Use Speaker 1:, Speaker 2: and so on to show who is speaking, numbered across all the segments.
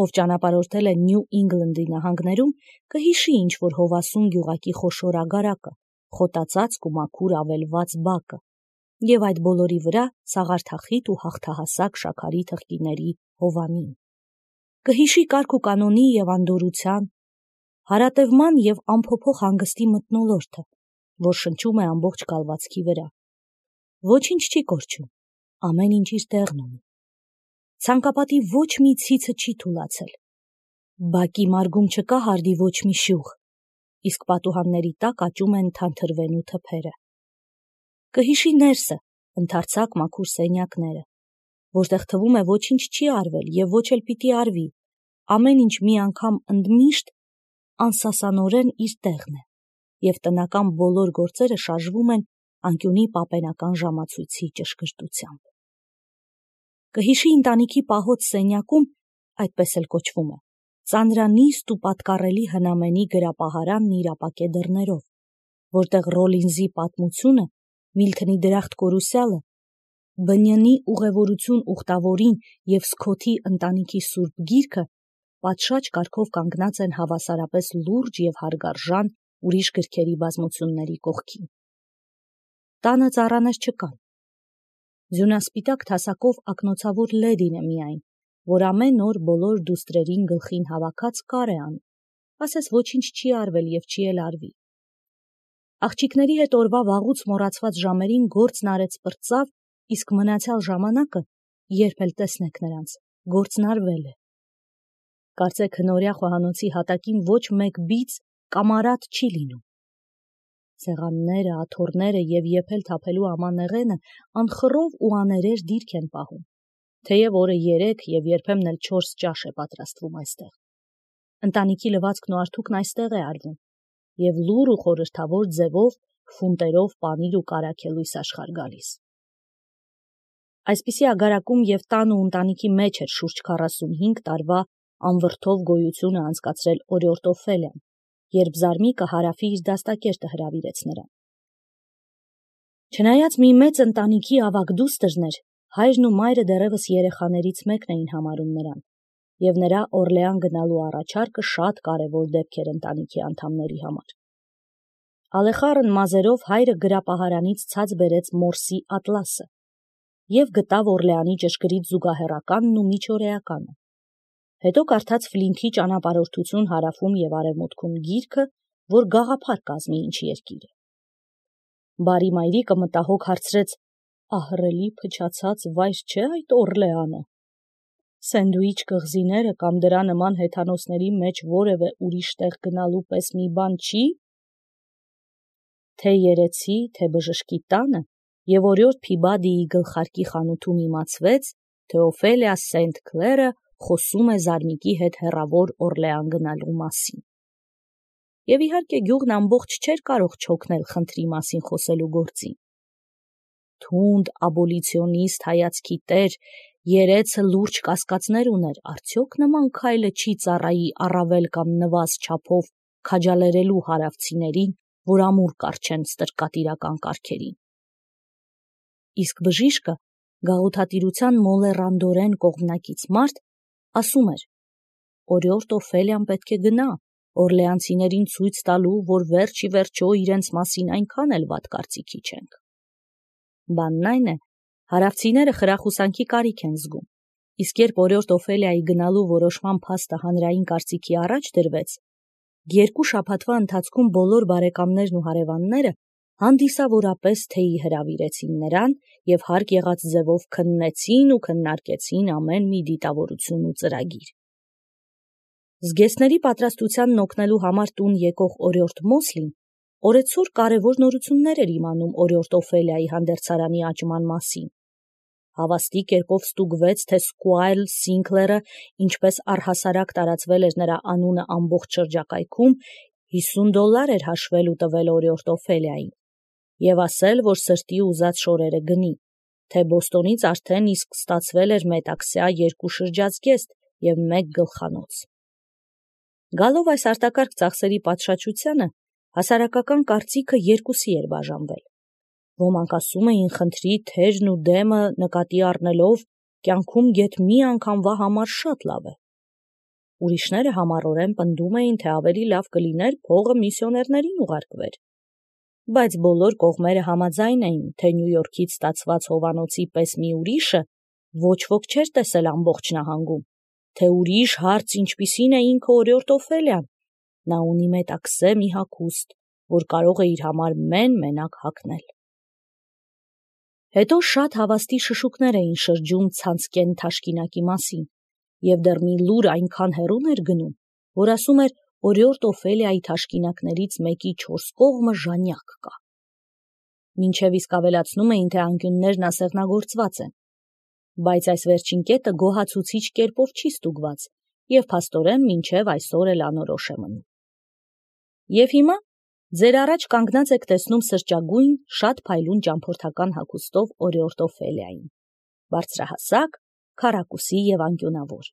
Speaker 1: ով ճանապարհորդել է Նյու Ինգլանդի նահանգներում, կհիշի ինչ-որ հովասուն գյուղակի խոշոր ագարակը, խոտածածկ ու մաքուր ավելված բակը, և այդ բոլորի վրա սաղարթախիտ ու հաղթահասակ շաքարի թղթիների հովանին։ Կհիշի կարգ ու կանոնի և անդորրության, հարատևման և անփոփոխ հանգստի մթնոլորտը, որ շնչում է ամբողջ կալվածքի վրա։ Ոչինչ չի կորչում, ամեն ինչ իր տեղն ունի։ Ցանկապատի ոչ մի ցիցը չի թուլացել, բակի մարգում չկա հարդի ոչ մի շյուղ, իսկ պատուհանների տակ աճում են թանթրվենու թփերը։ Կհիշի ներսը, ընդարձակ մաքուր սենյակները, որտեղ թվում է ոչինչ չի արվել և ոչ էլ պիտի արվի, ամեն ինչ մի անգամ ընդմիշտ անսասանորեն իր տեղն է, և տնական բոլոր գործերը շարժվում են անկյունի պապենական ժամացույցի ճշգրտությամբ։ Կհիշի ընտանիքի պահոց սենյակում, այդպես էլ կոչվում է, ծանրանիստ ու պատկառելի հնամենի գրապահարանն իր ապակե դռներով, որտեղ Ռոլինզի պատմությունը, Միլթոնի դրախտ կորուսյալը, Բնյանի ուղևորություն ուխտավորին և Սքոթի ընտանիքի սուրբ գիրքը պատշաճ կարգով կանգնած են հավասարապես լուրջ և հարգարժան ուրիշ գրքերի բազմությունների կողքին։ Տանը ծառաներ չկան։ Ձյունասպիտակ թասակով ակնոցավոր լեդին է միայն, որ ամեն օր բոլոր դուստրերին գլխին հավաքած կար է անում, ասես ոչինչ չի արվել և չի էլ արվի։ Աղջիկների հետ օրվա վաղուց մոռացված ժամերին գործն արեց պրծավ, իսկ մնացյալ ժամանակը, երբ էլ տեսնեք նրանց, գործն արվել է։ Կարծեք հնորյա խոհանոցի հատակին ոչ մեկ բիծ կամ արատ չի լինում։ Սեղանները, աթոռները և եփել թափելու ամանեղենը անխռով ու աներեր դիրք են պահում, թեև օրը 3 և երբեմն էլ 4 ճաշ է պատրաստվում այստեղ։ Ընտանիքի լվացքն ու արթուկն այստեղ է արվում, և լուռ ու խորհրդավոր ձևով ֆունտերով պանիր ու կարագելույս աշխարհ գալիս։ Այսպիսի ագարակում և տան ու ընտանիքի մեջ էր շուրջ 45 տարվա անվրդով գոյությունը անցկացրել օրիորդ Օֆելիան, երբ Զարմիկը Հարավի իր դաստակերտը հրավիրեց նրան։ Չնայած մի մեծ ընտանիքի ավագ դուստրն էր, հայրն ու մայրը դեռևս երեխաներից մեկն էին համարում նրան, և նրա Օրլեան գնալու առաջարկը շատ կարևոր դեպք էր ընտանիքի անդամների համար։ Ալեխառն մազերով հայրը գրապահարանից ցած բերեց Մորսի ատլասը և գտավ Օրլեանի ճշգրիտ զուգահեռականն ու միջօրեականը։ Հետո կարդաց Ֆլինքի ճանապարհորդություն հարավում և արևմուտքում գիրքը, որ գաղափար կազմի ինչ երկիրը։ Բարի մայրիկը մտահոգ հարցրեց. «Ահռելի փչացած վայր չէ՞ այդ Օրլեանը։ Սենդուիչ կղզիները կամ դրա նման հեթանոսների մեջ որևէ ուրիշ տեղ գնալու պես մի բան չի»։ Թե երեցի, թե բժշկի տանը և օրիորդ Փիբադիի գլխարկի խանութում իմացվեց, թե Օֆելիա Սենթ Քլերը խոսում է Զարմիկի հետ հեռավոր Օրլեան գնալու մասին։ Եվ իհարկե գյուղն ամբողջ չէր կարող չօգնել խնդրի մասին խոսելու գործին։ Թունդ աբոլիցիոնիստ հայացքի տեր երեցը լուրջ կասկածներ ուներ, արդյոք նման քայլը չի ծառայի առավել կամ նվազ չափով քաջալերելու հարավցիներին, որ ամուր կառչեն ստրկատիրական կարգերին։ Իսկ բժիշկը, գաղութատիրության մոլեռանդորեն կողմնակից մարդ, ասում էր. օրիորդ Օֆելիան պետք է գնա օրլեանցիներին ցույց տալու, որ վերջ ի վերջո իրենց մասին այնքան էլ վատ կարծիքի չենք։ Բանն այն է, հարավցիները խրախուսանքի կարիք են զգում, իսկ երբ օրիորդ Օֆելիայի գնալու որոշման փաստը հանրային կարծիքի առաջ դրվեց, 2 շաբաթվա ընթացքում բոլոր բարեկամներն ու հարևանները հանդիսավորապես թեյի հրավիրեցին նրան և հարկ եղած ձևով քննեցին ու քննարկեցին ամեն մի դիտավորություն ու ծրագիր։ Զգեստների պատրաստությանն օգնելու համար տուն եկող օրիորդ Մոսլին օրեցօր կարևոր նորություններ էր իմանում օրիորդ Օֆելիայի հանդերձարանի աճման մասին։ Հավաստի կերպով ստուգվեց, թե Սկուայր Սինքլերը ինչպես առհասարակ տարածվել էր նրա անունը ամբողջ շրջակայքում, $50 էր հաշվել ու տվել օրիորդ Օֆելիային և ասել, որ սրտի ուզած շորերը գնի, թե Բոստոնից արդեն իսկ ստացվել էր մետաքսյա 2 շրջազգեստ և 1 գլխանոց։ Գալով այս արտակարգ ծախսերի պատշաճությանը, հասարակական կարծիքը երկուսի էր բաժանվել։ Ոմանք ասում էին խնդրի թեժն ու դեմը նկատի առնելով, կյանքում գեթ մի անգամվա համար շատ լավ է, Ուրիշները համառորեն պնդում էին, թե ավելի լավ կլիներ փողը միսիոներներին ուղարկվեր։ Բայց բոլոր կողմերը համաձայն էին, թե Նյու Յորքից ստացված հովանոցի պես մի ուրիշը ոչ ոք չէր տեսել ամբողջ նահանգում, թե ուրիշ հարց ինչպիսին է ինքը օրիորդ Օֆելիան, նա ունի մետաքսե մի հագուստ, որ կարող է իր համար մենակ հագնել։ Հետո շատ հավաստի շշուկներ էին շրջում ցանցկեն թաշկինակի մասին, և դեռ մի լուր այնքան հեռուն էր գնում, որ ասում էր օրիորդ Օֆելիայի թաշկինակներից մեկի 4 կողմը ժանյակ կա։ Մինչև իսկ ավելացնում էին, թե անկյուններն ասեղնագործված են, բայց այս վերջին կետը գոհացուցիչ կերպով չի ստուգված, և փաստորեն մինչև այսօր էլ անորոշ է մնում։ Եվ հիմա ձեր առաջ կանգնած եք տեսնում սրճագույն, շատ փայլուն ճամփորդական հագուստով օրիորդ Օֆելիային, բարձրահասակ, քառակուսի և անկյունավոր,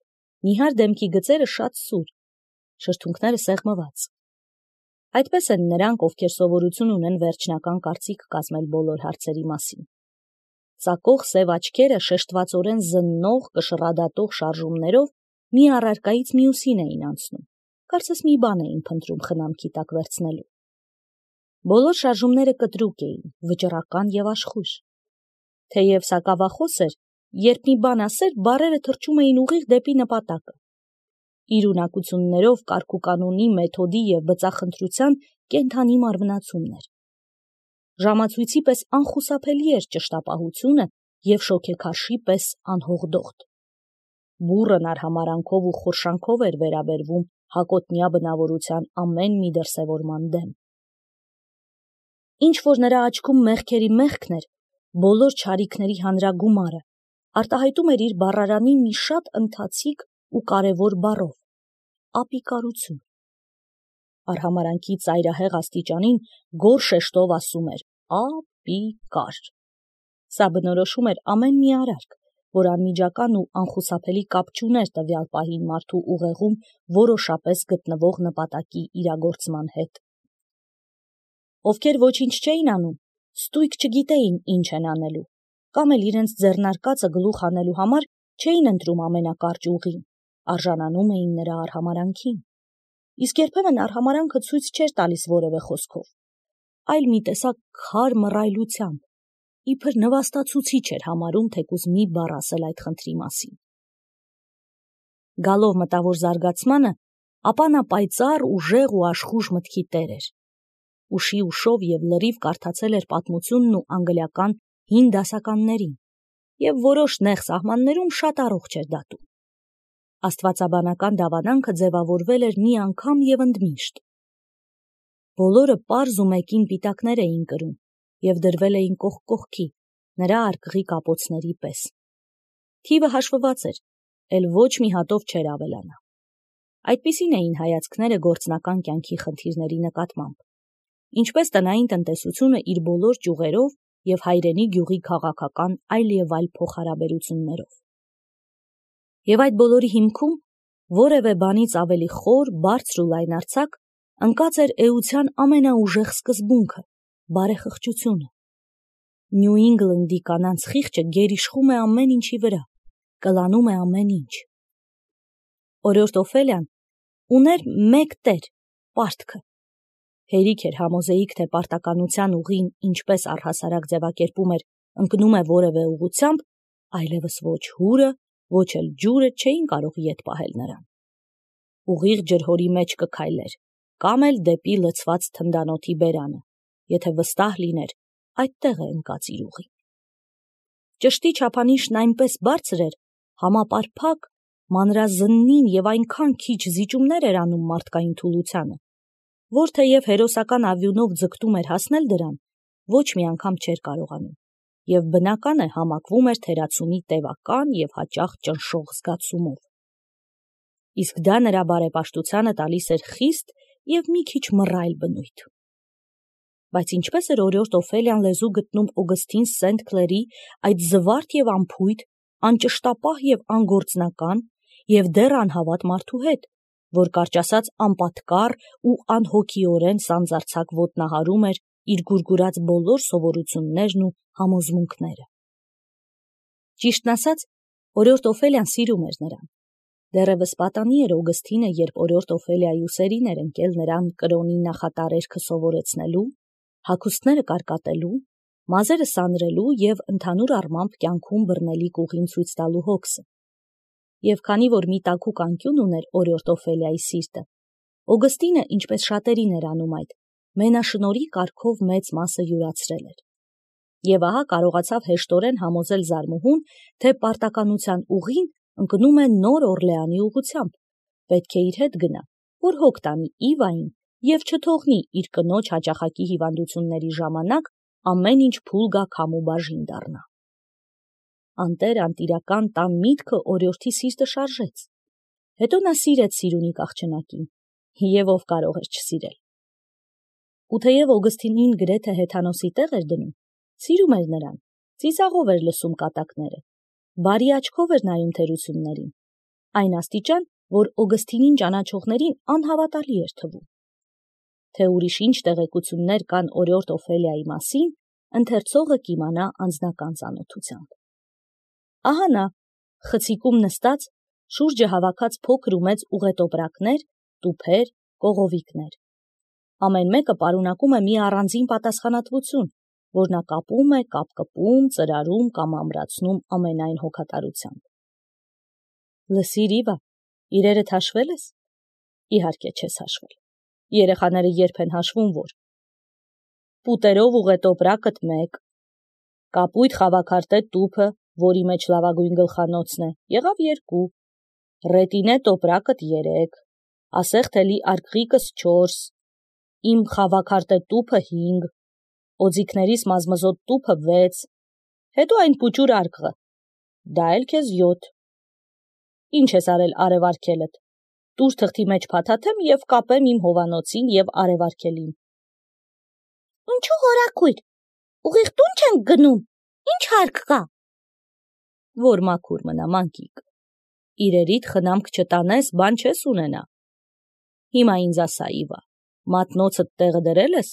Speaker 1: նիհար դեմքի գծերը շատ սուր, շրթունքները սեղմված։ Այդպես են նրանք, ովքեր սովորություն ունեն վերջնական կարծիք կազմել բոլոր հարցերի մասին։ Ծակող սև աչքերը շեշտվածորեն զննող, կշռադատող շարժումներով մի առարկայից մյուսին էին անցնում, կարծես մի բան էին փնտրում խնամքի տակ վերցնելու։ Բոլոր շարժումները կտրուկ էին, վճռական և աշխույժ։ Թեև սակավախոս էր, երբ մի բան ասեր, բառերը թռչում էին ուղիղ դեպի նպատակը։ Իր ունակություններով կարգուկանոնի, մեթոդի և բծախնդրության կենդանի մարմնացումն էր։ Ժամացույցի պես անխուսափելի էր ճշտապահությունը և շոգեքարշի պես անհողդողդ։ Բուռն արհամարանքով ու խորշանքով էր վերաբերվում հակոտնյա բնավորության ամեն մի դրսևորման դեմ։ Ինչ որ նրա աչքում մեղքերի մեղքն էր, բոլոր չարիքների հանրագումարը, արտահայտում էր իր բառարանի մի շատ ընթացիկ ու կարևոր բառով՝ ապիկարություն։ Արհամարանքի ծայրահեղ աստիճանին գոռ շեշտով ասում էր ապիկար։ Սա բնորոշում էր ամեն մի արարք, որ անմիջական ու անխուսափելի կապ չուներ տվյալ պահին մարդու ուղեղում որոշապես գտնվող նպատակի իրագործման հետ։ Ովքեր ոչինչ չէին անում, ստույգ չգիտեին ինչ են անելու, կամ էլ իրենց ձեռնարկածը գլուխ հանելու համար չէին ընտրում ամենակարճ ուղին, արժանանում էին նրա արհամարանքին։ Իսկ երբեմն արհամարանքը ցույց չէր տալիս որևէ խոսքով, այլ մի տեսակ քար մռայլությամբ, իբր նվաստացուցիչ էր համարում թեկուզ մի բառ ասել այդ խնդրի մասին։ Գալով մտավոր զարգացմանը, ապա նա պայծառ, ուժեղ ու աշխուժ մտքի տեր էր։ Ուշի ուշով և լրիվ կարդացել էր պատմությունն ու անգլիական հին դասականներին, և որոշ նեղ սահմաններում շատ առողջ էր դատում։ Աստվածաբանական դավանանքը ձևավորվել էր մի անգամ և ընդմիշտ։ Բոլորը պարզ ու մեկին պիտակներ էին կրում և դրվել էին կողք կողքի, նրա արկղի կապոցների պես։ Թիվը հաշվված էր, էլ ոչ մի հատով չէր ավելանա։ Այդպիսին էին հայացքները գործնական կյանքի խնդիրների նկատմամբ, ինչպես տնային տնտեսությունը իր բոլոր ճյուղերով և հայրենի գյուղի քաղաքական այլ և այլ փոխհարաբերություններով։ Եվ այդ բոլորի հիմքում որևէ բանից ավելի խոր, բարձր ու լայնարձակ ընկած էր էության ամենաուժեղ սկզբունքը՝ բարեխղճությունը։ Նյու Ինգլանդի կանանց խիղճը գերիշխում է ամեն ինչի վրա, կլանում է ամեն ինչ։ Օրիորդ Օֆելիան ուներ մեկ տեր՝ պարտքը։ Հերիք էր համոզեիք, թե պարտականության ուղին, ինչպես առհասարակ ձևակերպում էր, ընկնում է որևէ ուղղությամբ, այլևս ոչ հուրը, ոչ էլ ջուրը չէին կարող ետ պահել նրան։ Ուղիղ ջրհորի մեջ կքայլեր, կամ էլ դեպի լցված թնդանոթի բերանը, եթե վստահ լիներ, այդտեղ է ընկած իր ուղին։ Ճշտի չափանիշն այնպես բարձր էր, համապարփակ, մանրազննին և այնքան քիչ զիջումներ էր անում մարդկային թուլությանը, որ թեև հերոսական ավյունով ձգտում էր հասնել դրան, ոչ մի անգամ չէր կարողանում, և բնական է համակվում էր թերացումի տևական և հաճախ ճնշող զգացումով։ Իսկ դա նրա բարեպաշտությանը տալիս էր խիստ և մի քիչ մռայլ բնույթ։ Բայց ինչպես էր օրիորդ Օֆելիան լեզու գտնում Օգստին Սենթ Քլերի այդ զվարթ և անփույթ, անճշտապահ և անգործնական և դեռ անհավատ մարդու հետ, որ կարճ ասած անպատկառ ու անհոգիորեն սանձարձակ ոտնահարում էր իր գուրգուրած բոլոր սովորություններն ու համոզմունքները։ Ճիշտն ասած, օրիորդ Օֆելիան սիրում էր նրան, Դեռևս պատանի էր Օգստինը, երբ օրիորդ Օֆելիայի ուսերին էր ընկել նրան կրոնի նախատարերքը սովորեցնելու, հագուստները կարկատելու, մազերը սանրելու և ընդհանուր առմամբ կյանքում բռնելիք ուղին ցույց տալու հոգսը։ Եվ քանի որ մի տաքուկ անկյուն ուներ օրիորդ Օֆելիայի սիրտը, Օգստինը, ինչպես շատերին էր անում այդ, մենաշնորհի կարգով մեծ մասը յուրացրել էր։ Եվ ահա կարողացավ հեշտորեն համոզել զարմուհուն, թե պարտականության ուղին ընկնում է նոր Օրլեանի ուղղությամբ, պետք է իր հետ գնա, որ հոգ տանի Իվային և չթողնի իր կնոջ հաճախակի հիվանդությունների ժամանակ ամեն ինչ փուլ գա քամու բաժին դառնա։ Անտեր-անտիրական տան միտքը օրիորդի սիրտը շարժեց։ Հետո նա սիրեց Սիրունի աղջնակին, և ով կարող էր չսիրել։ Ու թեև Օգստինին գրեթե հեթանոսի տեղ էր դնում, սիրում էր նրան, ծիծաղով էր լսում կատակները, բարի աչքով էր նայում թերություններին, այն աստիճան, որ Օգստինին ճանաչողներին անհավատալի էր թվում։ Թե ուրիշ ինչ տեղեկություններ կան օրիորդ Օֆելիայի մասին, ընթերցողը կիմանա անձնական ծանոթությամբ։ Ահա նա, խցիկում նստած, շուրջը հավաքած փոքր ու մեծ ուղետոպրակներ, տուփեր, կողովիկներ։ Ամեն մեկը պարունակում է մի առանձին պատասխանատվություն, որ նա կապում է, կապկպում, ծրարում կամ ամրացնում ամենայն հոգատարությամբ։ Լսիր, Իվա, իրերդ հաշվել ես։ Իհարկե չես հաշվել։ Երեխաները երբ են հաշվում, որ պուտերով ուղետոպրակդ մեկ, կապույտ խավաքարտե տուփը, որի մեջ լավագույն գլխանոցն է, եղավ 2, ռետինե տոպրակդ 3, ասեղթելի արկղիկս 4, իմ խավաքարտե տուփը 5, օձիքներիս մազմզոտ տուփը 6, հետո այն պուճուր արկղը, դա էլ քեզ 7։ Ինչ ես արել արևարկելդ, տուր թղթի մեջ փաթաթեմ և կապեմ իմ հովանոցին և արևարկելին։ Ինչու հորաքույր, ուղիղ տուն չենք գնում, ինչ հարկ կա։ Որ մաքուր մնա, մանկիկ, իրերիդ խնամք չտանես, բան չես ունենա։ Հիմա ինձ ասա, Իվա, մատնոցդ տեղը դրել ես։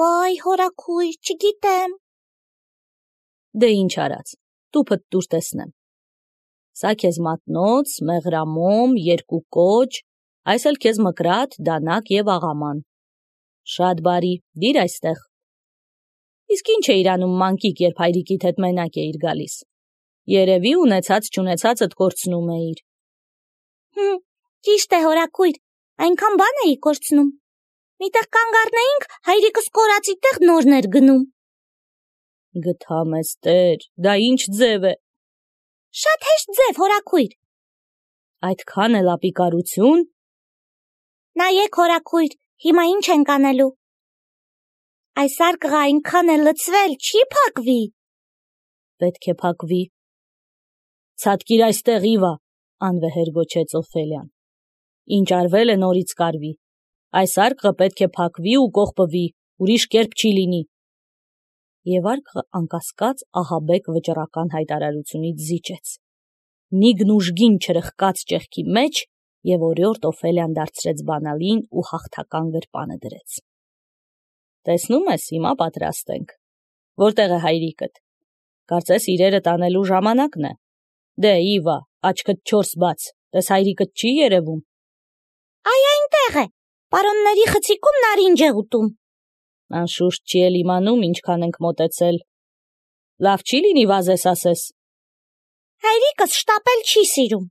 Speaker 1: Վայ, հորաքույր, չգիտեմ։ Դե ինչ արած, տուփդ տուր տեսնեմ։ Սա քեզ մատնոց, մեղրամոմ, 2 կոճ, այս էլ քեզ մկրատ, դանակ և աղաման։ Շատ բարի, դիր այստեղ։ Իսկ ինչ էիր անում, մանկիկ, երբ հայրիկիդ հետ մենակ էիր գալիս։ Երևի ունեցած չունեցածդ կորցնում էիր։ Ճիշտ է, հորաքույր, այնքան բան էի կորցնում։ Միտեղ կանգ առնեինք, հայրիկս կորածի տեղ նորն էր գնում։ Գթամ ես տեր, դա ինչ ձև է։ Շատ հեշտ ձև, հորաքույր։ Այդքան էլ ապիկարություն։ Նայեք, հորաքույր, հիմա ինչ ենք անելու։ Այս արկղը այնքան է լցվել, չի փակվի։ Պետք է փակվի։ Ցատկիր այստեղ, Իվա, անվեհեր գոչեց Օֆելիան։ Ինչ արվել է նորից կարվի։ Այս արկղը պետք է փակվի ու կողպվի, ուրիշ կերպ չի լինի։ Եվ արկղը անկասկած ահաբեկ վճռական հայտարարությունից զիջեց։ Նիգն ուժգին չրխկաց ճեղքի մեջ և օրիորդ Օֆելիան դարձրեց բանալին ու հաղթական գրպանը դրեց։ Տեսնում ես, հիմա պատրաստ ենք։ Որտեղ է հայրիկդ։ Կարծես իրերը տանելու ժամանակն է։ Դե, Իվա, աչքդ 4 բաց, տես հայրիկդ չի երևում։ Այ այնտեղ է, պարոնների խցիկում նարինջ է ուտում։ Անշուշտ չի էլ իմանում ինչքան ենք մոտեցել։ Լավ չի լինի վազես ասես։ Հայրիկս շտապել չի սիրում։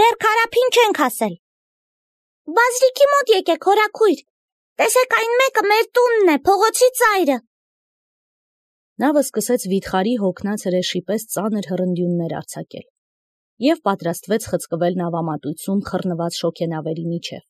Speaker 1: Դեռ քարափին չենք հասել։ Բազրիկի մոտ եկեք, հորաքույր, տեսեք այն մեկը մեր տունն է, փողոցի ծայրը։ Նավը սկսեց վիթխարի հոգնած հրեշի պես ծանր հռնդյուններ արձակել և պատրաստվեց խցկվել նավամատույցում խռնված շոգենավերի միջև։